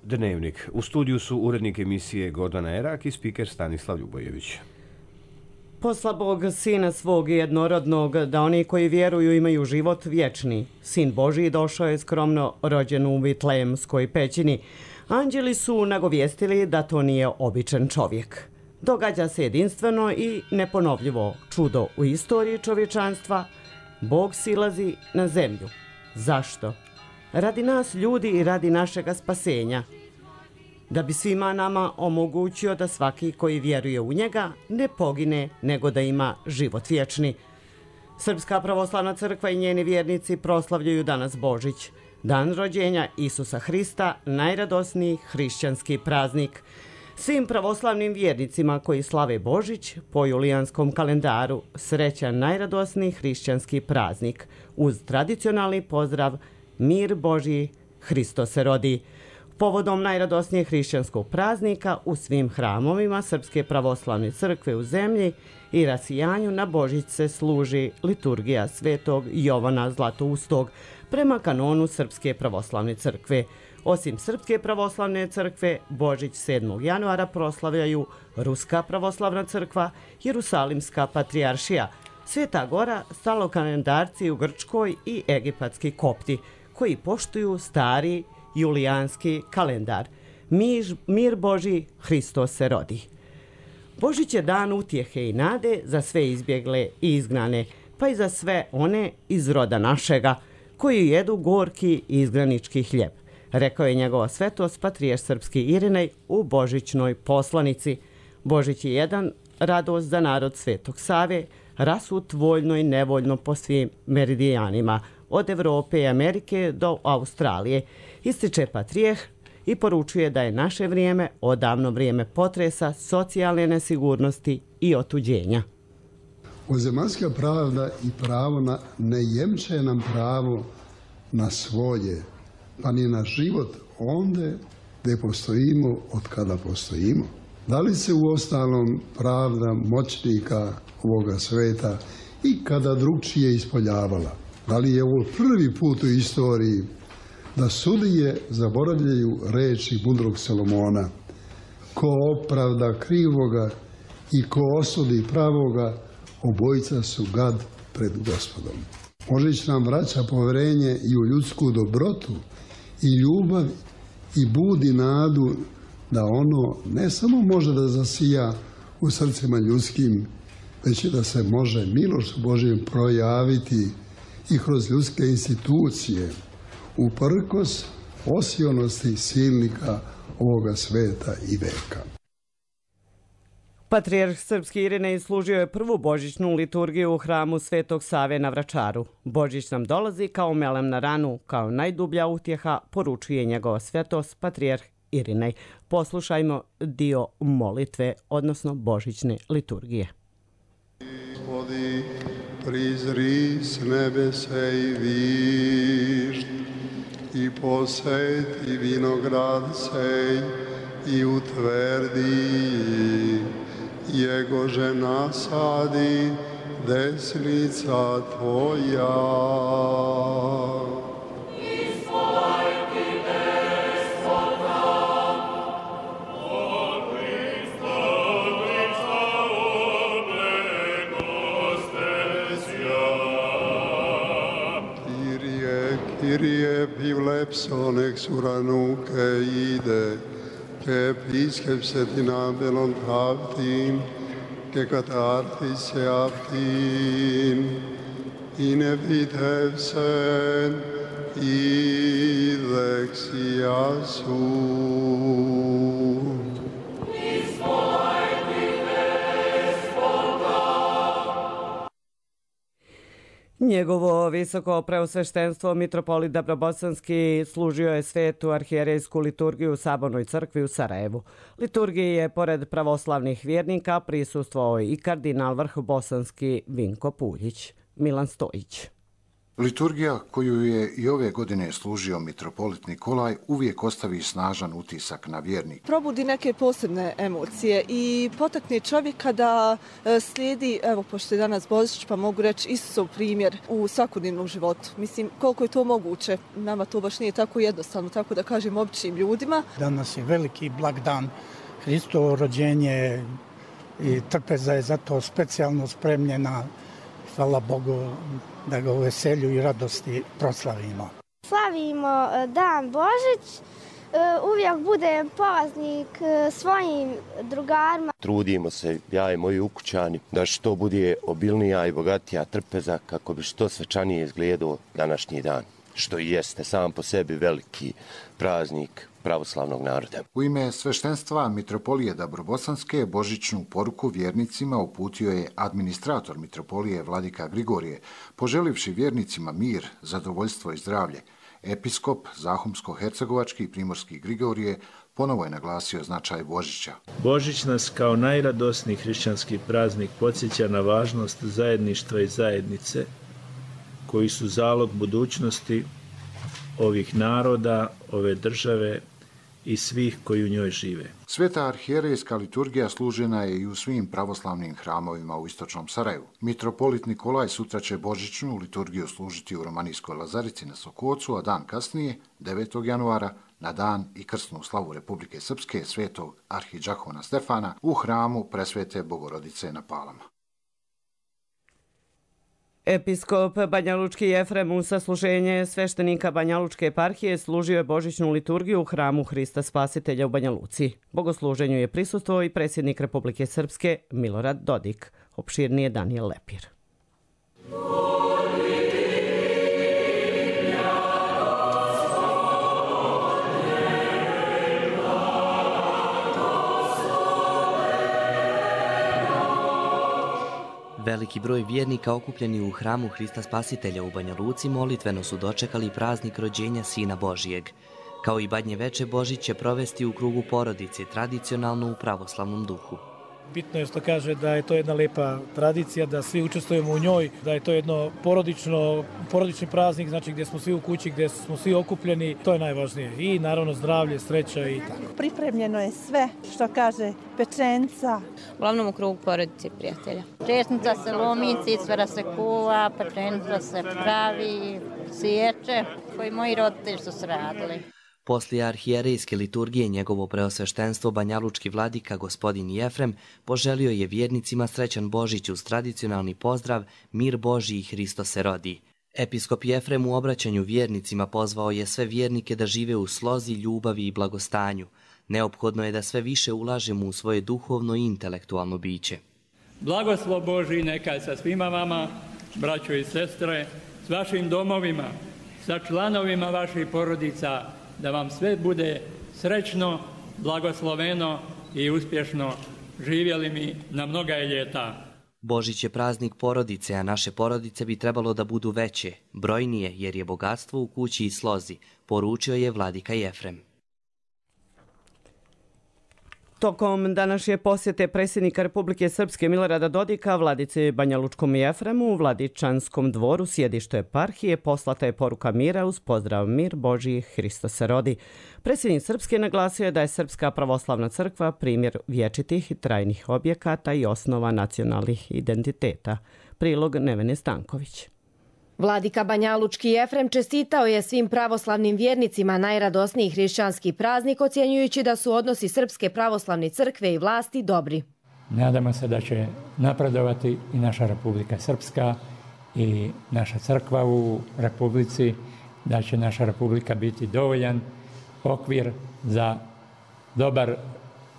Dnevnik. U studiju su urednik emisije Gordana Erak i spiker Stanislav Ljubojević. Posla Bog Sina svog jednorodnog, da oni koji vjeruju imaju život vječni. Sin Božiji došao je skromno rođen u Vitlejemskoj pećini. Anđeli su nagovijestili da to nije običan čovjek. Događa se jedinstveno i neponovljivo čudo u istoriji čovječanstva. Bog silazi na zemlju. Zašto? Radi nas ljudi i radi našega spasenja. Da bi svima nama omogućio da svaki koji vjeruje u njega ne pogine, nego da ima život vječni. Srpska pravoslavna crkva i njeni vjernici proslavljaju danas Božić, dan rođenja Isusa Hrista, najradosniji hrišćanski praznik. Svim pravoslavnim vjernicima koji slave Božić po julijanskom kalendaru srećan najradosniji hrišćanski praznik uz tradicionalni pozdrav Mir Božji, Hristo se rodi. Povodom najradosnijeg hrišćanskog praznika u svim hramovima Srpske pravoslavne crkve u zemlji i rasijanju na Božić se služi liturgija svetog Jovana Zlatoustog prema kanonu Srpske pravoslavne crkve. Osim Srpske pravoslavne crkve, Božić 7. januara proslavljaju Ruska pravoslavna crkva, Jerusalimska patrijaršija, Sveta Gora, stalokalendarci u Grčkoj i egipatski kopti, koji poštuju stari julijanski kalendar. Mir Božji, Hristo se rodi. Božić je dan utjehe i nade za sve izbjegle i izgnane, pa i za sve one iz roda našega, koji jedu gorki izgranički hljeb, rekao je njegova svetost patrijarh srpski Irinej u božićnoj poslanici. Božić je jedan radost za narod Svetog Save, rasut voljno i nevoljno po svim meridijanima, od Evrope i Amerike do Australije, ističe patrijarh i poručuje da je naše vrijeme odavno vrijeme potresa, socijalne nesigurnosti i otuđenja. Ozemaljska pravda i pravo ne jemče nam pravo na svoje, pa ni na život onde gdje postojimo od kada postojimo. Da li se u ostalom pravda moćnika ovoga sveta i kada drugčije ispoljavala? Da li je ovo prvi put u istoriji da sudije zaboravljaju reči mudrog Salomona? Ko opravda krivoga i ko osudi pravoga, obojica su gad pred Gospodom. Božić nam vraća poverenje i u ljudsku dobrotu i ljubav i budi nadu da ono ne samo može da zasija u srcima ljudskim, već i da se može milošću Božjom projaviti i kroz ljudske institucije, uprkos osionosti silnika ovoga sveta i veka. Patrijarh srpski Irinej služio je prvu božićnu liturgiju u hramu Svetog Save na Vračaru. Božić nam dolazi kao melem na ranu, kao najdublja utjeha, poručuje njegova svetost patrijarh Irinej. Poslušajmo dio molitve, odnosno božićne liturgije. Gospodi, prizri s nebese i višt, i poseti vinograd sej, i utvrdi, jegože nasadi desnica tvoja. Kyrie pivlepson exuranuke ide, ke episkepsetina belon pravtin, ke katartis eaptin, ine vitevsen, i lexia su. Njegovo visoko preosveštenstvo mitropolit Dabrobosanski služio je svetu arhijerejsku liturgiju u Sabornoj crkvi u Sarajevu. Liturgiji je pored pravoslavnih vjernika prisustvovao i kardinal vrhbosanski Vinko Puljić. Milan Stojić. Liturgija koju je i ove godine služio mitropolit Nikolaj uvijek ostavi snažan utisak na vjernik. Probudi neke posebne emocije i potakne čovjeka da slijedi, evo pošto je danas Božić, pa mogu reći Isusov primjer u svakodnevnom životu. Mislim, koliko je to moguće, nama to baš nije tako jednostavno, tako da kažem običnim ljudima. Danas je veliki blagdan, Hristovo rođenje i trpeza je zato specijalno spremljena. Hvala Bogu da ga u veselju i radosti proslavimo. Slavimo dan Božić, uvijek budem polaznik svojim drugarima. Trudimo se, ja i moji ukućani, da što bude obilnija i bogatija trpeza kako bi što svečanije izgledao današnji dan, što i jeste sam po sebi veliki praznik pravoslavnog naroda. U ime sveštenstva Mitropolije Dabrobosanske božićnu poruku vjernicima uputio je administrator Mitropolije Vladika Grigorije, poželivši vjernicima mir, zadovoljstvo i zdravlje. Episkop Zahumsko-hercegovački i primorski Grigorije ponovo je naglasio značaj Božića. Božić nas kao najradosniji hrišćanski praznik podsjeća na važnost zajedništva i zajednice, koji su zalog budućnosti ovih naroda, ove države i svih koji u njoj žive. Sveta arhijerejska liturgija služena je i u svim pravoslavnim hramovima u istočnom Sarajevu. Mitropolit Nikolaj sutra će božićnu liturgiju služiti u Romanijskoj Lazarici na Sokocu, a dan kasnije, 9. januara, na dan i krsnu slavu Republike Srpske svetog arhidžakona Stefana u hramu Presvete Bogorodice na Palama. Episkop Banjalučki Jefrem u sasluženje sveštenika Banjalučke eparhije služio je božićnu liturgiju u hramu Hrista Spasitelja u Banja Luci. Bogosluženju je prisustvovao i predsjednik Republike Srpske Milorad Dodik. Opširnije Danijel Lepir. Veliki broj vjernika okupljeni u hramu Hrista Spasitelja u Banja Luci molitveno su dočekali praznik rođenja Sina Božijeg. Kao i Badnje veče, Božić će provesti u krugu porodice, tradicionalno u pravoslavnom duhu. Bitno je što kaže da je to jedna lepa tradicija, da svi učestvujemo u njoj, da je to jedno porodični praznik, znači gdje smo svi u kući, gdje smo svi okupljeni, to je najvažnije. I naravno zdravlje, sreća i tako. Pripremljeno je sve što kaže pečenca. Uglavnom u krugu porodice i prijatelja. Česnica se lomi, cicvera se kuva, pečenica se pravi, siječe, koji moji roditelji su se radili. Poslije arhijerejske liturgije njegovo preosveštenstvo banjalučki vladika gospodin Jefrem poželio je vjernicima srećan Božić uz tradicionalni pozdrav Mir Božji i Hristo se rodi. Episkop Jefrem u obraćanju vjernicima pozvao je sve vjernike da žive u slozi, ljubavi i blagostanju. Neophodno je da sve više ulažemo u svoje duhovno i intelektualno biće. Blagoslov Božji neka je sa svima vama, braćo i sestre, s vašim domovima, sa članovima vaših porodica, da vam sve bude srećno, blagosloveno i uspješno. Živjeli mi na mnoga ljeta. Božić je praznik porodice, a naše porodice bi trebalo da budu veće, brojnije, jer je bogatstvo u kući i slozi, poručio je vladika Jefrem. Tokom današnje posjete predsjednika Republike Srpske Milorada Dodika vladici Banjalučkom Jefremu u Vladičanskom dvoru sjedište eparhije poslata je poruka mira uz pozdrav Mir Božji, Hristo se rodi. Predsjednik Srpske naglasio je da je Srpska pravoslavna crkva primjer vječitih i trajnih objekata i osnova nacionalnih identiteta. Prilog Nevene Stanković. Vladika Banjalučki Jefrem čestitao je svim pravoslavnim vjernicima najradosniji hrišćanski praznik, ocjenjujući da su odnosi Srpske pravoslavne crkve i vlasti dobri. Nadamo se da će napredovati i naša Republika Srpska i naša crkva u Republici, da će naša Republika biti dovoljan okvir za dobar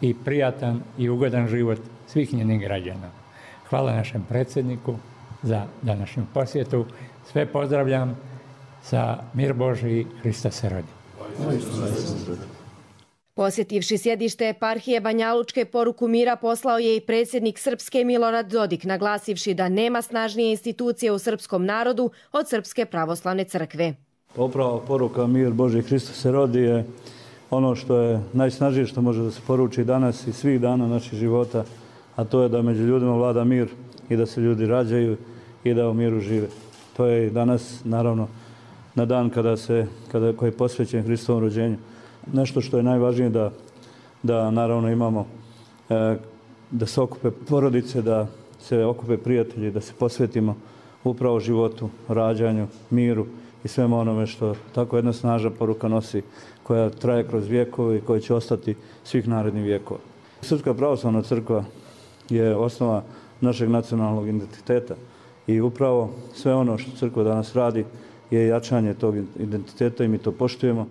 i prijatan i ugodan život svih njenih građana. Hvala našem predsjedniku za današnju posjetu. Sve pozdravljam sa Mir Božji, Hrista se rodi. Posjetivši sjedište eparhije Banjalučke, poruku mira poslao je i predsjednik Srpske Milorad Dodik, naglasivši da nema snažnije institucije u srpskom narodu od Srpske pravoslavne crkve. Upravo poruka Mir Božji, Hristo se rodi je ono što je najsnažnije što može da se poruči danas i svih dana naših života, a to je da među ljudima vlada mir i da se ljudi rađaju i da u miru žive. to je i danas, naravno, na dan koji je posvećen Hristovom rođenju. Nešto što je najvažnije da naravno imamo, da se okupe porodice, da se okupe prijatelji, da se posvetimo upravo životu, rađanju, miru i svemu onome što tako jedna snažna poruka nosi, koja traje kroz vjekove i koja će ostati svih narednih vjekova. Srpska pravoslavna crkva je osnova našeg nacionalnog identiteta i upravo sve ono što crkva danas radi je jačanje tog identiteta i mi to poštujemo.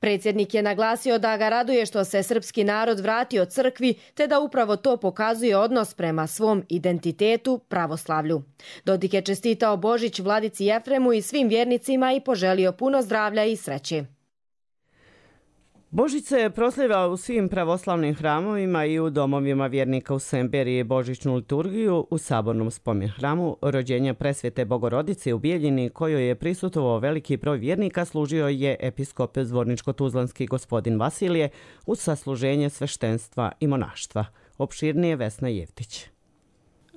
Predsjednik je naglasio da ga raduje što se srpski narod vratio crkvi, te da upravo to pokazuje odnos prema svom identitetu, pravoslavlju. Dodik je čestitao Božić vladici Jefremu i svim vjernicima i poželio puno zdravlja i sreće. Božić se proslavlja u svim pravoslavnim hramovima i u domovima vjernika u Semberiji. Božićnu liturgiju u sabornom spomen hramu rođenja presvete Bogorodice u Bijeljini, kojoj je prisutovao veliki broj vjernika, služio je episkop Zvorničko-Tuzlanski gospodin Vasilije uz sasluženje sveštenstva i monaštva. Opširnije Vesna Jevtić.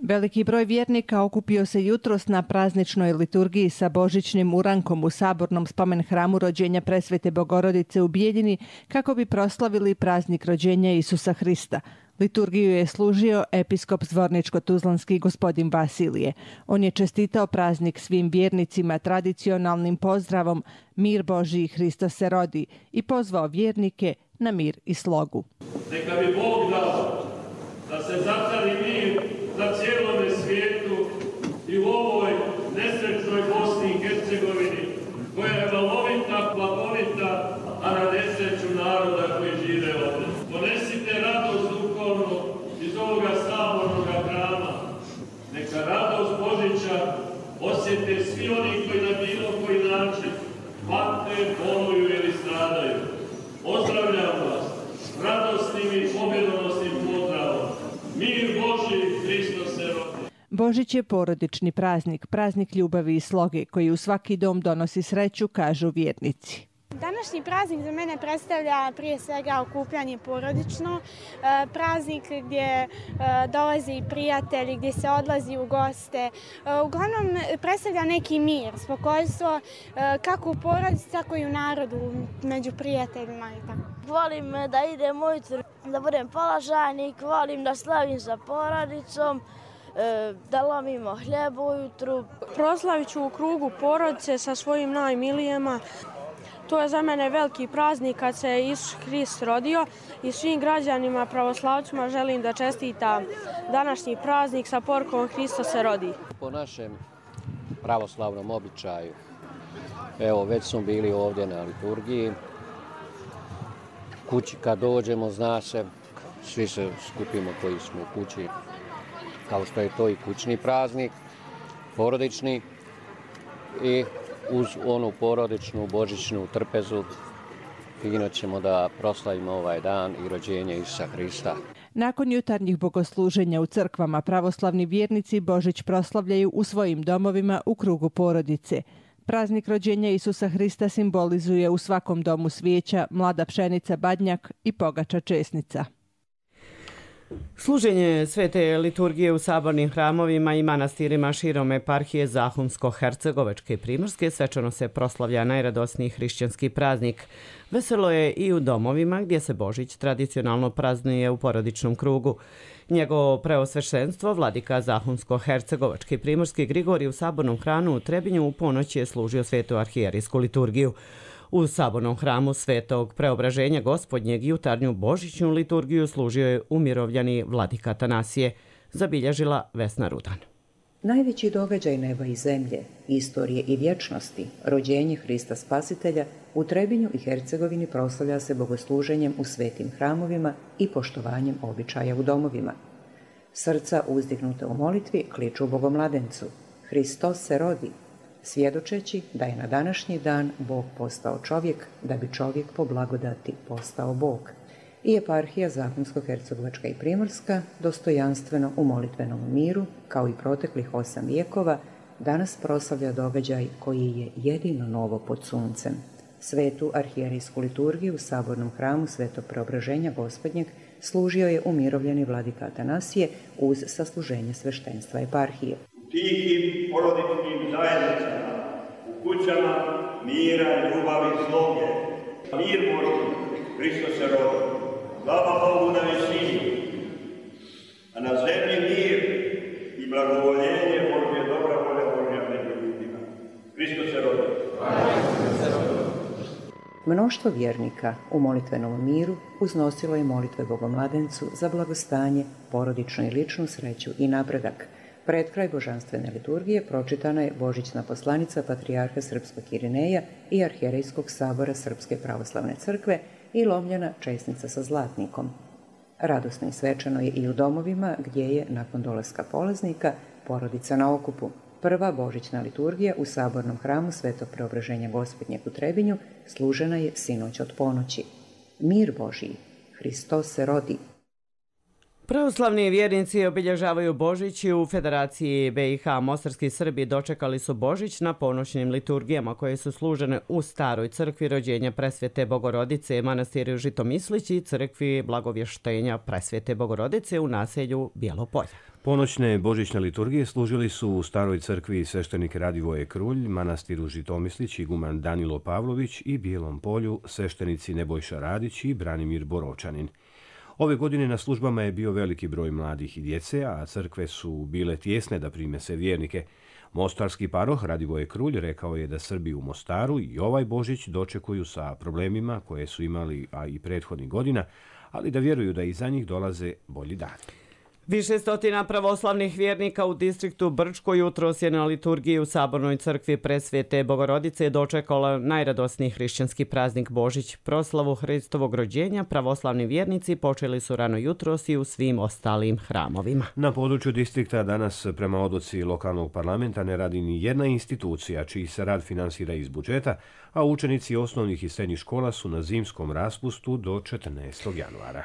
Veliki broj vjernika okupio se jutros na prazničnoj liturgiji sa božićnim urankom u sabornom spomen hramu rođenja presvete Bogorodice u Bijeljini kako bi proslavili praznik rođenja Isusa Hrista. Liturgiju je služio episkop Zvorničko-Tuzlanski gospodin Vasilije. On je čestitao praznik svim vjernicima tradicionalnim pozdravom Mir Božji i Hristos se rodi i pozvao vjernike na mir i slogu. Neka bi Bog dao da se zacari mir na cijelome svijetu i u ovoj nesrećnoj Bosni i Hercegovini, koja je valovita, plahovita, a na nesreću naroda koji žive ovdje. Ponesite radost duhovnu iz ovoga sabornog hrama. Neka radost Božića osjete svi oni koji na bilo koji način pate, boluju ili stradaju. Pozdravljam vas s radosnim i pobjedonosnim pozdravom. Mir Božji, Hristos se rodi. Božić je porodični praznik, praznik ljubavi i sloge koji u svaki dom donosi sreću, kažu vjernici. Današnji praznik za mene predstavlja prije svega okupljanje porodično, praznik gdje dolaze prijatelji, gdje se odlazi u goste. Uglavnom predstavlja neki mir, spokojstvo, kako u porodici, tako i u narodu, među prijateljima i tako. Volim da idem ujutro, da budem polažajnik, volim da slavim sa porodicom, da lomimo hljeb ujutru. Proslavit ću u krugu porodice sa svojim najmilijima. To je za mene veliki praznik kad se Isus Hrist rodio i svim građanima pravoslavcima želim da čestita današnji praznik sa porukom Hristos se rodi. Po našem pravoslavnom običaju, evo već smo bili ovdje na liturgiji, kući kad dođemo zna se, svi se skupimo koji smo u kući, kao što je to i kućni praznik, porodični i uz onu porodičnu, božićnu trpezu fino ćemo da proslavimo ovaj dan i rođenje Isusa Hrista. Nakon jutarnjih bogosluženja u crkvama pravoslavni vjernici Božić proslavljaju u svojim domovima u krugu porodice. Praznik rođenja Isusa Hrista simbolizuje u svakom domu svijeća, mlada pšenica badnjak i pogača česnica. Služenje svete liturgije u sabornim hramovima i manastirima širom eparhije Zahumsko-Hercegovačke i Primorske svečano se proslavlja najradosniji hrišćanski praznik. Veselo je i u domovima gdje se Božić tradicionalno praznuje u porodičnom krugu. Njegovo preosveštenstvo, vladika Zahumsko-Hercegovačke i Primorske Grigorij u sabornom hramu u Trebinju u ponoć je služio svetu arhijerijsku liturgiju. U sabornom hramu Svetog Preobraženja Gospodnjeg jutarnju božićnu liturgiju služio je umirovljeni vladika Atanasije, zabilježila Vesna Rudan. Najveći događaj neba i zemlje, istorije i vječnosti, rođenje Hrista Spasitelja, u Trebinju i Hercegovini proslavlja se bogosluženjem u svetim hramovima i poštovanjem običaja u domovima. Srca uzdignuta u molitvi kliču Bogomladencu. Hristos se rodi, svjedočeći da je na današnji dan Bog postao čovjek, da bi čovjek po blagodati postao Bog. I eparhija Zahumsko-Hercegovačka i Primorska, dostojanstveno u molitvenom miru, kao i proteklih 8 vijekova, danas proslavlja događaj koji je jedino novo pod suncem. Svetu arhijerijsku liturgiju u sabornom hramu Svetog Preobraženja Gospodnjeg služio je umirovljeni vladika Atanasije uz sasluženje sveštenstva eparhije. Tihim porodičnim zajednicama kućama mira, ljubavi i sloge. Mir Božji, Hristos se rodi. Slava Bogu na visini, a na zemlji mir i blagovoljenje Božje, dobra volja Božja među ljudima. Hristos se rodi. Mnoštvo vjernika u molitvenom miru uznosilo je molitve Bogomladencu za blagostanje, porodičnu i ličnu sreću i napredak. Pred kraj božanstvene liturgije pročitana je božićna poslanica Patrijarha Srpskog Irineja i Arhijerejskog sabora Srpske pravoslavne crkve i lomljena česnica sa zlatnikom. Radosno i svečano je i u domovima gdje je, nakon dolaska polaznika, porodica na okupu. Prva božićna liturgija u sabornom hramu Svetog Preobraženja Gospodnjeg u Trebinju služena je sinoć od ponoći. Mir Božiji, Hristos se rodi. Pravoslavni vjernici obilježavaju Božić i u Federaciji BiH mostarski Srbi dočekali su Božić na ponoćnim liturgijama koje su služene u Staroj crkvi rođenja Presvete Bogorodice, manastiru Žitomislić i crkvi Blagovještenja Presvete Bogorodice u naselju Bijelo-Polje. Ponoćne božićne liturgije služili su u Staroj crkvi sveštenik Radivoje Krulj, manastiru Žitomislić iguman Danilo Pavlović i Bijelom Polju sveštenici Nebojša Radić i Branimir Boročanin. Ove godine na službama je bio veliki broj mladih i djece, a crkve su bile tjesne da prime se vjernike. Mostarski paroh Radivoje Krulj rekao je da Srbi u Mostaru i ovaj Božić dočekuju sa problemima koje su imali, a i prethodnih godina, ali da vjeruju da iza njih dolaze bolji dani. Više stotina pravoslavnih vjernika u distriktu Brčko jutros je na liturgiji u Sabornoj crkvi Presvete Bogorodice dočekala najradosniji hrišćanski praznik Božić. Proslavu Hristovog rođenja pravoslavni vjernici počeli su rano jutros i u svim ostalim hramovima. Na području distrikta danas prema odluci lokalnog parlamenta ne radi ni jedna institucija čiji se rad finansira iz budžeta, a učenici osnovnih i srednjih škola su na zimskom raspustu do 14. januara.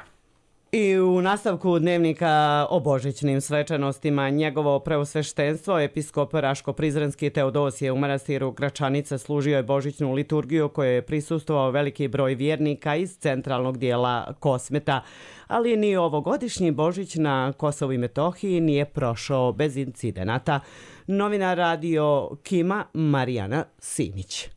I u nastavku dnevnika o božićnim svečanostima njegovo preosveštenstvo episkop Raško-Prizrenski Teodosije u manastiru Gračanica služio je božićnu liturgiju kojoj je prisustvovao veliki broj vjernika iz centralnog dijela Kosmeta, ali ni ovogodišnji Božić na Kosovu i Metohiji nije prošao bez incidenata. Novinar Radio Kima Marijana Simić.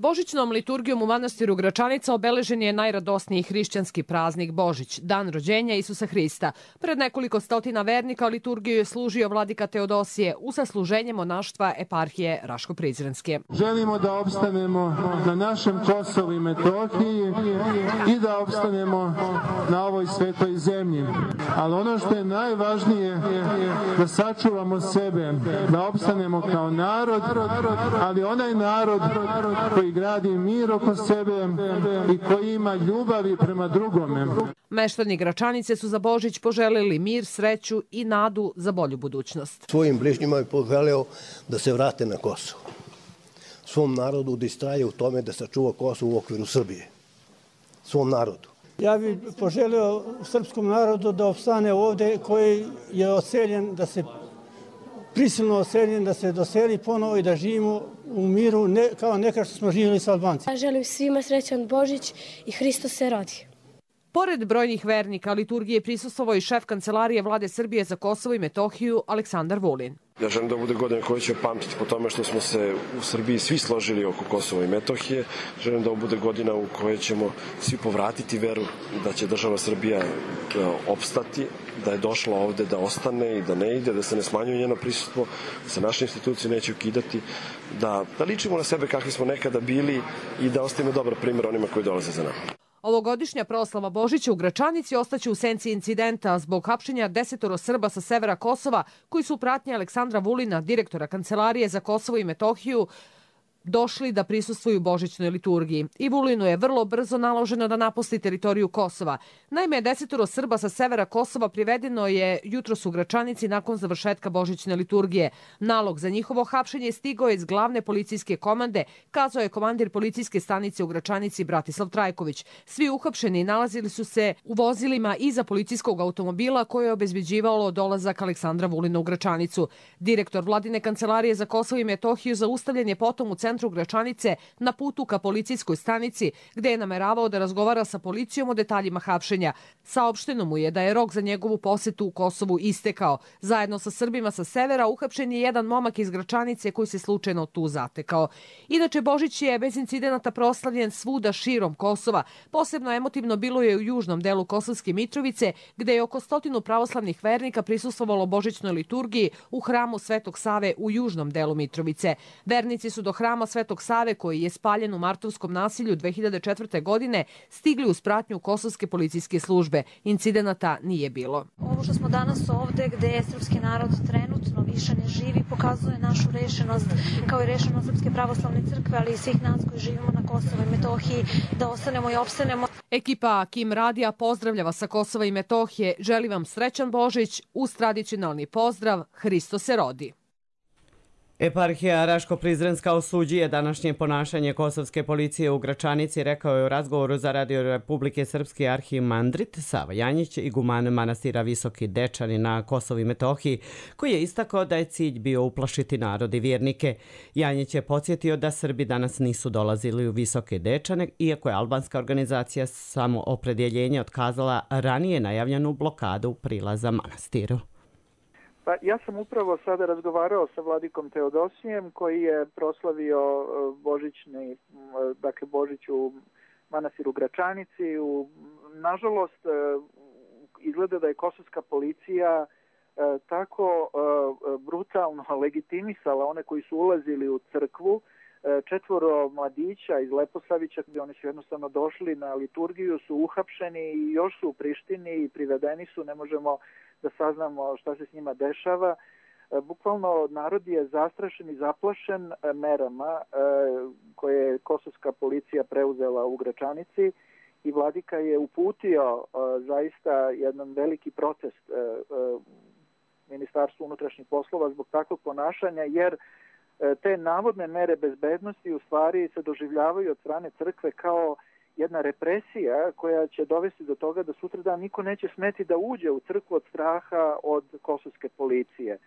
Božićnom liturgijom u manastiru Gračanica obeležen je najradosniji hrišćanski praznik Božić, dan rođenja Isusa Hrista. Pred nekoliko stotina vernika liturgiju je služio vladika Teodosije u sasluženje monaštva eparhije Raško-Prizrenske. Želimo da opstanemo na našem Kosovu i Metohiji i da opstanemo na ovoj svetoj zemlji. Ali ono što je najvažnije da sačuvamo sebe, da opstanemo kao narod, ali onaj narod koji gradi mir oko sebe i koji ima ljubavi prema drugome. Meštani Gračanice su za Božić poželili mir, sreću i nadu za bolju budućnost. Svojim bližnjima je poželeo da se vrate na Kosovo. Svom narodu da istraje u tome da sačuva Kosovo u okviru Srbije. Svom narodu. Ja bih poželio srpskom narodu da opstane ovdje koji je oseljen, da se prisilno oseljen, da se doseli ponovo i da živimo u miru kao nekad što smo živjeli s Albancima. Ja želim svima srećan Božić i Hristos se rodi. Pored brojnih vernika, liturgiji je prisustvovao i šef Kancelarije Vlade Srbije za Kosovo i Metohiju Aleksandar Vulin. Ja želim da bude godina koju će pamtiti po tome što smo se u Srbiji svi složili oko Kosova i Metohije. Želim da ovo bude godina u kojoj ćemo svi povratiti veru da će država Srbija opstati, da je došla ovde da ostane i da ne ide, da se ne smanjuje njeno prisustvo, da se naše institucije neće ukidati, da ličimo na sebe kakvi smo nekada bili i da ostavimo dobar primjer onima koji dolaze za nama. Ovogodišnja proslava Božića u Gračanici ostaće u senci incidenta zbog hapšenja 10 Srba sa severa Kosova koji su u pratnji Aleksandra Vulina, direktora Kancelarije za Kosovo i Metohiju, došli da prisustvuju božićnoj liturgiji. I Vulinu je vrlo brzo naloženo da napusti teritoriju Kosova. Naime, 10 Srba sa severa Kosova privedeno je jutros u Gračanici nakon završetka božićne liturgije. Nalog za njihovo hapšenje stigao je iz glavne policijske komande, kazao je komandir policijske stanice u Gračanici Bratislav Trajković. Svi uhapšeni nalazili su se u vozilima iza policijskog automobila koje je obezbeđivalo dolazak Aleksandra Vulina u Gračanicu. Direktor Vladine Kancelarije za Kosovo i Metohiju zaustavljen je potom u centru centru Gračanice na putu ka policijskoj stanici, gde je nameravao da razgovara sa policijom o detaljima hapšenja. Saopšteno mu je da je rok za njegovu posetu u Kosovu istekao. Zajedno sa Srbima sa severa uhapšen je jedan momak iz Gračanice koji se slučajno tu zatekao. Inače, Božić je bez incidenata proslavljen svuda širom Kosova. Posebno emotivno bilo je u južnom delu Kosovske Mitrovice, gde je oko 100 pravoslavnih vernika prisustvovalo božićnoj liturgiji u hramu Svetog Save u južnom delu Mitrovice. Vernici su do hrama Svetog Save, koji je spaljen u martovskom nasilju 2004. godine, stigli uz pratnju kosovske policijske službe. Incidenata nije bilo. Ovo što smo danas ovde, gde je srpski narod trenutno više ne živi, pokazuje našu rešenost, kao i rešenost Srpske pravoslavne crkve, ali i svih nas koji živimo na Kosovu i Metohiji, da ostanemo i opstanemo. Ekipa Kim Radija pozdravlja sa Kosova i Metohije. Želi vam srećan Božić uz tradicionalni pozdrav Hristo se rodi. Eparhija Raško-Prizrenska osuđuje današnje ponašanje kosovske policije u Gračanici, rekao je u razgovoru za Radio Republike Srpske arhimandrit Sava Janjić, iguman manastira Visoki Dečani na Kosovu i Metohiji, koji je istakao da je cilj bio uplašiti narod i vjernike. Janjić je podsjetio da Srbi danas nisu dolazili u Visoke Dečane, iako je albanska organizacija Samoopredjeljenje otkazala ranije najavljenu blokadu prilaza manastiru. Pa ja sam upravo sada razgovarao sa vladikom Teodosijem koji je proslavio Božić u manastiru Gračanici. Nažalost, izgleda da je kosovska policija tako brutalno legitimisala one koji su ulazili u crkvu. 4 mladića iz Leposavića, gdje oni su jednostavno došli na liturgiju, su uhapšeni i još su u Prištini i privedeni su, ne možemo da saznamo šta se s njima dešava. Bukvalno narod je zastrašen i zaplašen merama koje je kosovska policija preuzela u Gračanici i vladika je uputio zaista jedan veliki protest Ministarstvu unutrašnjih poslova zbog takvog ponašanja, jer te navodne mere bezbednosti u stvari se doživljavaju od strane crkve kao jedna represija koja će dovesti do toga da sutradan niko neće smeti da uđe u crkvu od straha od kosovske policije.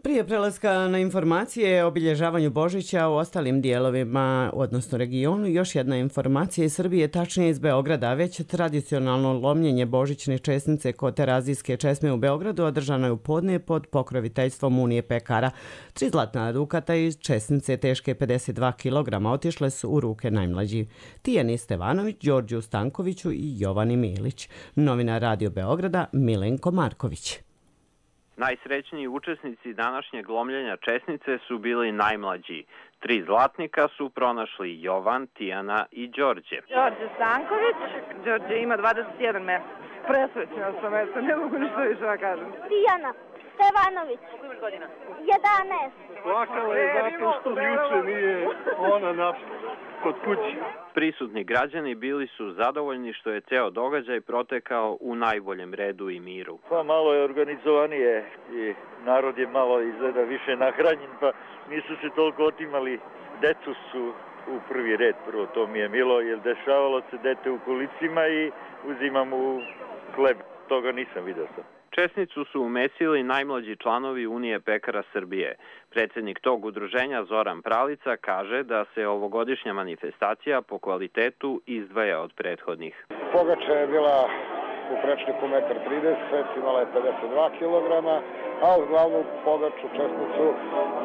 Prije prelaska na informacije o obilježavanju Božića u ostalim dijelovima, odnosno regionu, još jedna informacija iz Srbije, tačnije iz Beograda. Već tradicionalno lomljenje božićne česnice kod Terazijske česme u Beogradu održano je u podne pod pokroviteljstvom Unije pekara. 3 zlatna dukata iz česnice teške 52 kg otišle su u ruke najmlađi Tijani Stevanović, Đorđu Stankoviću i Jovani Milić. Novinar Radio Beograda Milenko Marković. Najsrećniji učesnici današnjeg lomljenja česnice su bili najmlađi. 3 zlatnika su pronašli Jovan, Tijana i Đorđe. Đorđe Stanković, Đorđe ima 21 mesec. Presrećena sam, eto, ne mogu ništa više da kažem. Tijana Stevanović. Koliko imaš godina? 11. Plakala je zato što juče nije ona kod kući. Prisutni građani bili su zadovoljni što je ceo događaj protekao u najboljem redu i miru. Pa malo je organizovanije i narod je malo izgleda više nahranjen, pa nisu se toliko otimali. Decu su u prvi red, prvo to mi je milo, jer dešavalo se dete u kolicima i uzimam u hleb. Toga nisam vidio sam. Česnicu su umesili najmlađi članovi Unije pekara Srbije. Predsjednik tog udruženja Zoran Pralica kaže da se ovogodišnja manifestacija po kvalitetu izdvaja od prethodnih. Pogača je bila u prečniku 1,30 m, imala je 52 kg, a uz glavnu pogaču česnicu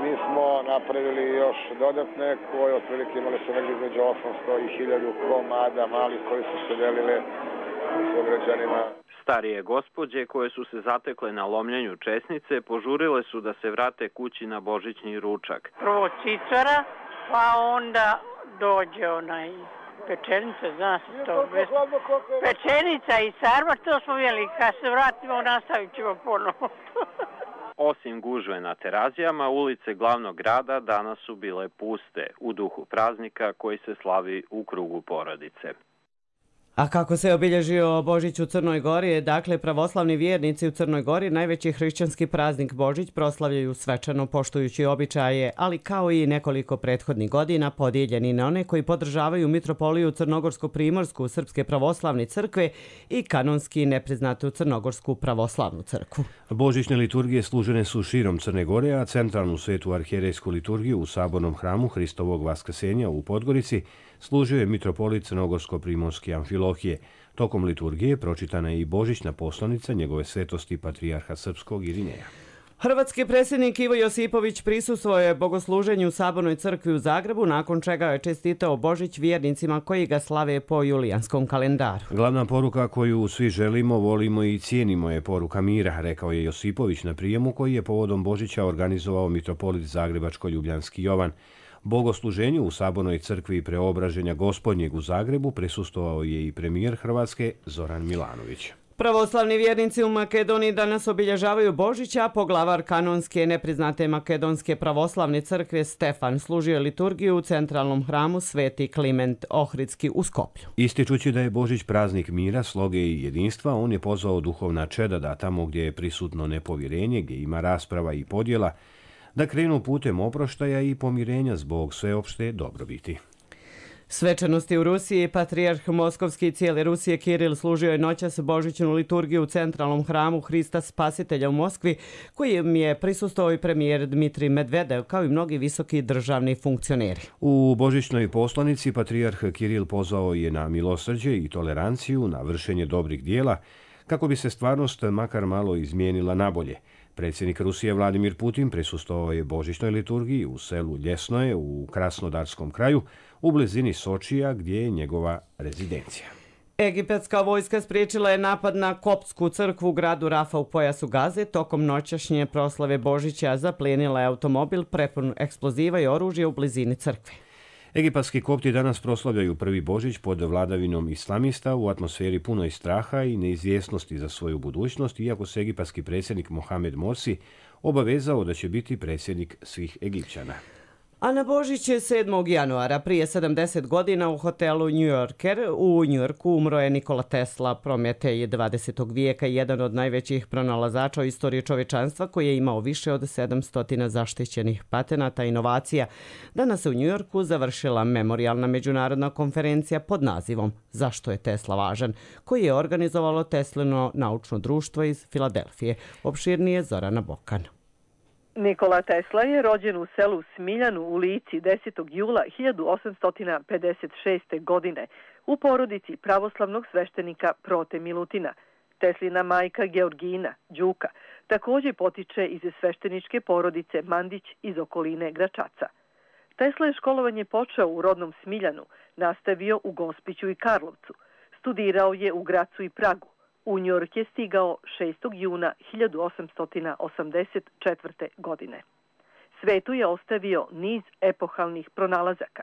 mi smo napravili još dodatne koje otprilike imali su negdje između 800 i 1000 komada malih koji su se delile s građanima. Starije gospođe koje su se zatekle na lomljenju česnice požurile su da se vrate kući na božićni ručak. Prvo cicara, pa onda dođe pečenica, zna se to. Pečenica i sarma, to smo jeli. Kad se vratimo, nastavit ćemo ponovo. Osim gužve na Terazijama, ulice glavnog grada danas su bile puste, u duhu praznika koji se slavi u krugu porodice. A kako se obilježio Božić u Crnoj Gori? Dakle, pravoslavni vjernici u Crnoj Gori najveći hrišćanski praznik Božić proslavljaju svečano poštujući običaje, ali kao i nekoliko prethodnih godina podijeljeni na one koji podržavaju mitropoliju Crnogorsko-Primorsku Srpske pravoslavne crkve i kanonski nepriznatu Crnogorsku pravoslavnu crkvu. Božićne liturgije služene su širom Crne Gore, a centralnu svetu arhijerejsku liturgiju u sabornom hramu Hristovog vaskrsenja u Podgorici služio je mitropolit Crnogorsko-Primorske Amfilohije. Tokom liturgije pročitana je i božićna poslanica njegove svetosti patrijarha srpskog Irineja. Hrvatski predsjednik Ivo Josipović prisustvovao je bogosluženju u Sabornoj crkvi u Zagrebu, nakon čega je čestitao Božić vjernicima koji ga slave po julijanskom kalendaru. Glavna poruka koju svi želimo, volimo i cijenimo je poruka mira, rekao je Josipović na prijemu koji je povodom Božića organizovao mitropolit Zagrebačko-Ljubljanski Jovan. Bogosluženju u Sabornoj crkvi Preobraženja Gospodnjeg u Zagrebu prisustvovao je i premijer Hrvatske Zoran Milanović. Pravoslavni vjernici u Makedoniji danas obilježavaju Božića, a poglavar kanonske nepriznate Makedonske pravoslavne crkve Stefan služio liturgiju u centralnom hramu Sveti Kliment Ohridski u Skoplju. Ističući da je Božić praznik mira, sloge i jedinstva, on je pozvao duhovna čeda da tamo gdje je prisutno nepovjerenje, gdje ima rasprava i podjela, da krenu putem oproštaja i pomirenja zbog sveopšte dobrobiti. Svečanosti u Rusiji, patrijarh Moskovski i cijele Rusije Kiril služio je noćas božićnu liturgiju u centralnom hramu Hrista Spasitelja u Moskvi, kojem je prisustvovao i premijer Dmitrij Medvedev, kao i mnogi visoki državni funkcioneri. U božićnoj poslanici patrijarh Kiril pozvao je na milosrđe i toleranciju, na vršenje dobrih dijela, kako bi se stvarnost makar malo izmijenila nabolje. Predsjednik Rusije Vladimir Putin prisustvovao je božićnoj liturgiji u selu Ljesnoje u Krasnodarskom kraju, u blizini Sočija, gdje je njegova rezidencija. Egipatska vojska spriječila je napad na koptsku crkvu u gradu Rafa u pojasu Gaze. Tokom noćašnje proslave Božića zaplijenila je automobil prepun eksploziva i oružja u blizini crkve. Egipatski kopti danas proslavljaju prvi Božić pod vladavinom islamista u atmosferi punoj straha i neizvjesnosti za svoju budućnost, iako se egipatski predsjednik Mohamed Morsi obavezao da će biti predsjednik svih Egipćana. A na Božić je 7. januara prije 70 godina u hotelu New Yorker u Njujorku umro je Nikola Tesla, Prometej 20. vijeka i jedan od najvećih pronalazača u istoriji čovječanstva koji je imao više od 700 zaštićenih patenata i inovacija. Danas se u Njujorku završila memorijalna međunarodna konferencija pod nazivom Zašto je Tesla važan, koji je organizovalo Teslino naučno društvo iz Filadelfije. Opširnije Zorana Bokan. Nikola Tesla je rođen u selu Smiljanu u Lici 10. jula 1856. godine u porodici pravoslavnog sveštenika Prote Milutina. Teslina majka Georgina, Đuka, također potiče iz svešteničke porodice Mandić iz okoline Gračaca. Tesla je školovanje počeo u rodnom Smiljanu, nastavio u Gospiću i Karlovcu. Studirao je u Gracu i Pragu. U Njujork je stigao 6. juna 1884. godine. Svetu je ostavio niz epohalnih pronalazaka.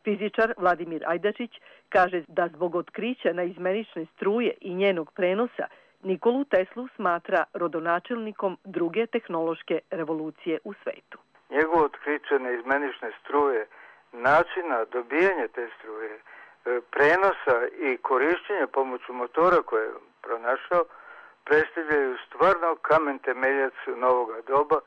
Fizičar Vladimir Ajdačić kaže da zbog otkrića naizmenične struje i njenog prenosa Nikolu Teslu smatra rodonačelnikom druge tehnološke revolucije u svetu. Njegovo otkriće naizmenične struje, načina dobijanja te struje, prenosa i korišćenja pomoću motora koje je pronašao, predstavljaju stvarno kamen temeljac novoga doba,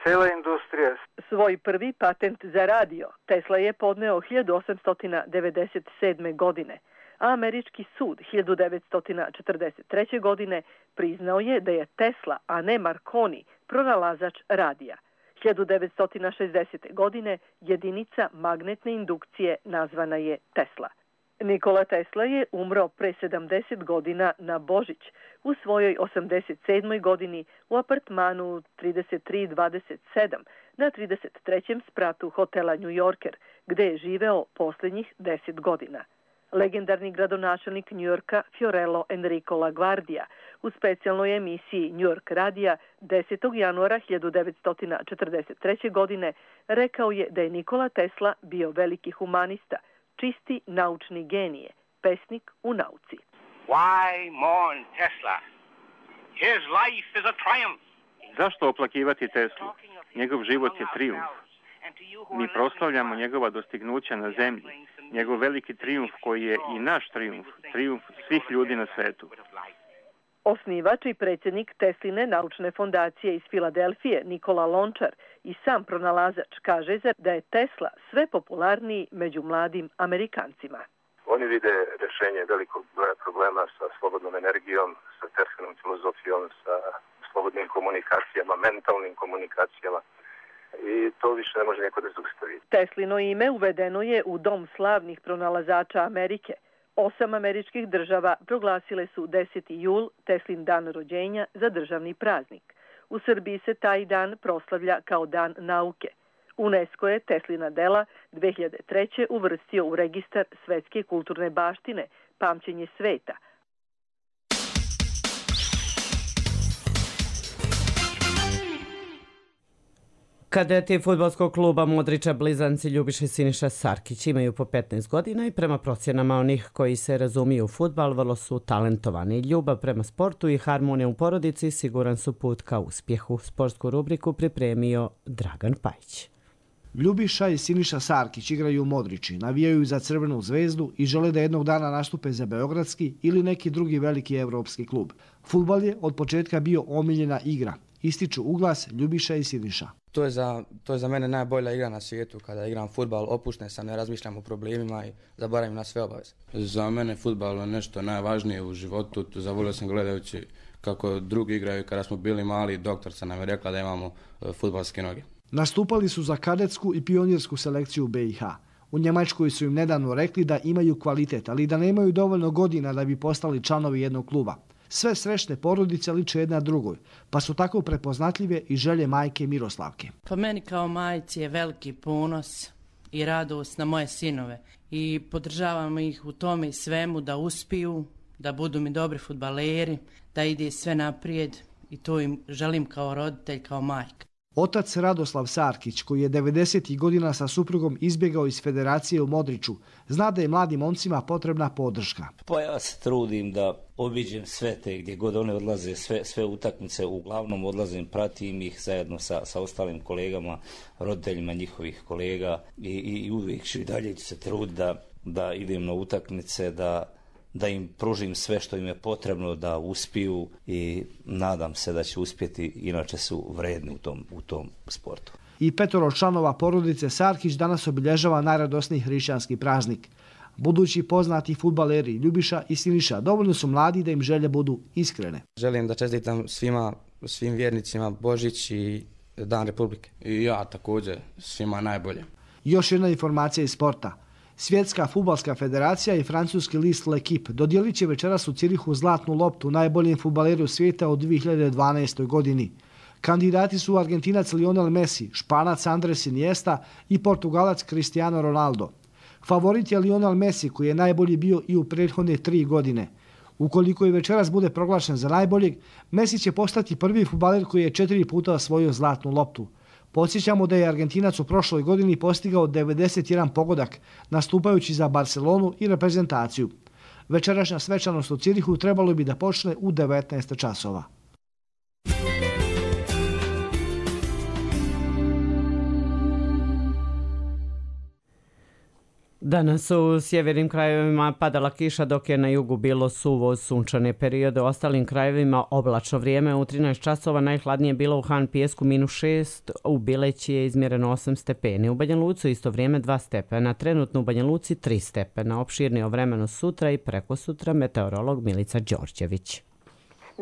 cela industrija. Svoj prvi patent za radio Tesla je podneo 1897. godine, a američki sud 1943. godine priznao je da je Tesla, a ne Marconi, pronalazač radija. 1960. godine jedinica magnetne indukcije nazvana je Tesla. Nikola Tesla je umro pre 70 godina na Božić u svojoj 87. godini u apartmanu 3327 na 33. spratu hotela New Yorker, gde je živeo posljednjih 10 godina. Legendarni gradonačelnik Njujorka Fiorello Enrico LaGuardia u specijalnoj emisiji New York radija 10. januara 1943. godine rekao je da je Nikola Tesla bio veliki humanista, čisti naučni genije, pesnik u nauci. Why mourn Tesla? His life is a triumph. Zašto oplakivati Teslu? Njegov život je trijumf. Mi proslavljamo njegova dostignuća na zemlji, njegov veliki trijumf koji je i naš trijumf, trijumf svih ljudi na svetu. Osnivač i predsjednik Tesline naučne fondacije iz Filadelfije, Nikola Lončar, i sam pronalazač kaže da je Tesla sve popularniji među mladim Amerikancima. Oni vide rješenje velikog broja problema sa slobodnom energijom, sa Teslinom filozofijom, sa slobodnim komunikacijama, mentalnim komunikacijama. I to više ne može niko da zaustavi. Teslino ime uvedeno je u Dom slavnih pronalazača Amerike. 8 američkih država proglasile su 10. jul, Teslin dan rođenja, za državni praznik. U Srbiji se taj dan proslavlja kao dan nauke. UNESCO je Teslina dela 2003. uvrstio u registar svetske kulturne baštine, pamćenje sveta. Kadeti fudbalskog kluba Modrića blizanci Ljubiša i Siniša Sarkić imaju po 15 godina i prema procjenama onih koji se razumiju u fudbal vrlo su talentovani. Ljubav prema sportu i harmonija u porodici siguran su put ka uspjehu. Sportsku rubriku pripremio Dragan Pajić. Ljubiša i Siniša Sarkić igraju u Modrići, navijaju za Crvenu zvezdu i žele da jednog dana nastupe za beogradski ili neki drugi veliki evropski klub. Fudbal je od početka bio omiljena igra. Ističu uglas Ljubiša i Siniša. To je za mene najbolja igra na svijetu. Kada igram fudbal, opušten sam, ne razmišljam o problemima i zaboravim na sve obaveze. Za mene fudbal je nešto najvažnije u životu. Zavolio sam gledajući kako drugi igraju. Kada smo bili mali, doktorca nam je rekla da imamo fudbalske noge. Nastupali su za kadetsku i pionirsku selekciju BiH. U Njemačkoj su im nedavno rekli da imaju kvalitet, ali da nemaju dovoljno godina da bi postali članovi jednog kluba. Sve srećne porodice liče jedna drugoj, pa su tako prepoznatljive i želje majke Miroslavke. Pa meni kao majci je veliki ponos i radost na moje sinove i podržavam ih u tome i svemu da uspiju, da budu mi dobri fudbaleri, da ide sve naprijed i to im želim kao roditelj, kao majka. Otac Radoslav Sarkić, koji je 90. godina sa suprugom izbjegao iz federacije u Modriću, zna da je mladim momcima potrebna podrška. Pa ja se trudim da obiđem sve te gdje god one odlaze, sve utakmice, uglavnom odlazim, pratim ih zajedno sa ostalim kolegama, roditeljima njihovih kolega i uvijek ću i dalje se truditi da idem na utakmice, da im pružim sve što im je potrebno da uspiju i nadam se da će uspjeti, inače su vredni u tom sportu. I 5 članova porodice Sarkić danas obilježava najradosniji hrišćanski praznik. Budući poznati fudbaleri Ljubiša i Siniša dovoljno su mladi da im želje budu iskrene. Želim da čestitam svim vjernicima Božić i Dan Republike. I ja također, svima najbolje. Još jedna informacija iz sporta. Svjetska fudbalska federacija i francuski list L'Equipe dodijelit će večeras u Cirihu zlatnu loptu najboljem fudbaleru svijeta u 2012. godini. Kandidati su Argentinac Lionel Messi, Španac Andres Iniesta i Portugalac Cristiano Ronaldo. Favorit je Lionel Messi, koji je najbolji bio i u prethodne 3 godine. Ukoliko i večeras bude proglašen za najboljeg, Messi će postati prvi fudbaler koji je 4 puta osvojio zlatnu loptu. Podsjećamo da je Argentinac u prošloj godini postigao 91 pogodak, nastupajući za Barcelonu i reprezentaciju. Večerašnja svečanost u Cirihu trebalo bi da počne u 19 časova. Danas u sjevernim krajevima padala kiša, dok je na jugu bilo suvo sunčane periode. U ostalim krajevima oblačno vrijeme. U 13 časova najhladnije bilo u Han Pijesku -6, u Bileći je izmjereno 8 stepeni. U Banja Luci isto vrijeme 2 stepena, trenutno u Banja Luci 3 stepena. Opširnije o vremenu sutra i preko sutra meteorolog Milica Đorđević.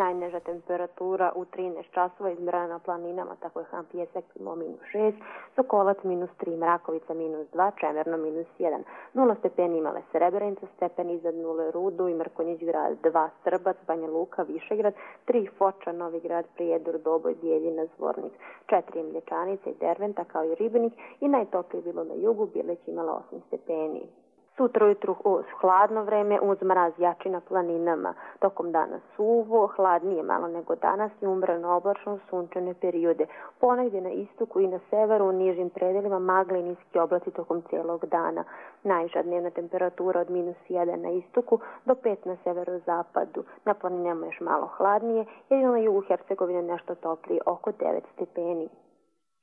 Najniža temperatura u 13 časova izmjerena na planinama, tako je Han Pijesak imao -6, Sokolac -3, Mrakovica -2, Čemerno -1. 0 stepeni imale Srebrenica, stepen iznad 0 Rudo i Mrkonjić grad, 2 Strbac, Banja Luka, Višegrad, 3 Foča, Novi grad, Prijedor, Doboj, Bijeljina, Zvornik, 4 Mlječanica i Derventa kao i Ribnik i najtoplije bilo na jugu, Bileć imala 8 stepeni. Sutra ujutru hladno vreme uz mraz jači na planinama. Tokom dana suvo, hladnije malo nego danas i umrano oblačno sunčane periode. Ponegdje na istoku i na severu u nižim predelima magle i niski oblaci tokom cijelog dana. Najviša dnevna temperatura od -1 na istoku do 5 na severozapadu. Na planinama još malo hladnije, jedino na jugu Hercegovine nešto toplije, oko 9 stepeni.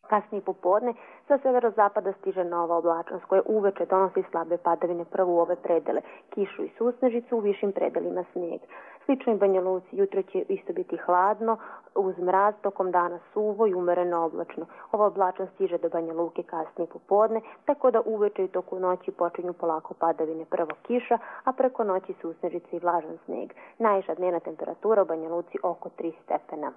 Kasnije popodne sa severozapada stiže nova oblačnost koja uveče donosi slabe padavine prvo u ove predele, kišu i susnežicu, u višim predelima snijeg. Slično i Banja Luci, jutro će isto biti hladno, uz mraz, tokom dana suvo i umereno oblačno. Ova oblačnost stiže do Banja Luke kasnije popodne, tako da uveče i toku noći počinju polako padavine, prvo kiša, a preko noći susnežice i vlažan snijeg. Najviša dnevna temperatura u Banja Luci oko 3 stepena.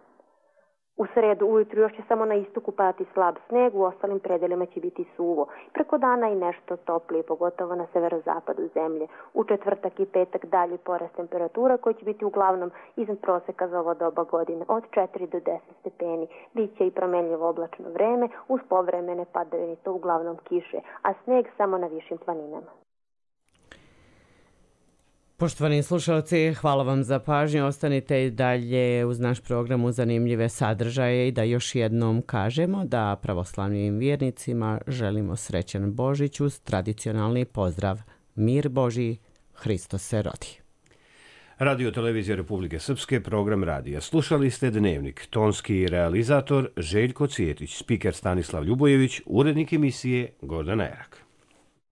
U sredu ujutru još će samo na istoku padati slab sneg, u ostalim predelima će biti suvo. Preko dana i nešto toplije, pogotovo na severozapadu zemlje. U četvrtak i petak dalje porast temperatura koji će biti uglavnom iznad proseka za ovo doba godine, od 4 do 10 stepeni. Biće i promenljivo oblačno vreme, uz povremene padavine, to uglavnom kiše, a sneg samo na višim planinama. Poštovani slušalci, hvala vam za pažnju. Ostanite i dalje uz naš program u zanimljive sadržaje i da još jednom kažemo da pravoslavnim vjernicima želimo srećan Božić uz tradicionalni pozdrav. Mir Božji, Hristos se rodi. Radio Televizija Republike Srpske, program radija. Slušali ste Dnevnik, tonski realizator Željko Cvjetić, spiker Stanislav Ljubojević, urednik emisije Gordana Erak.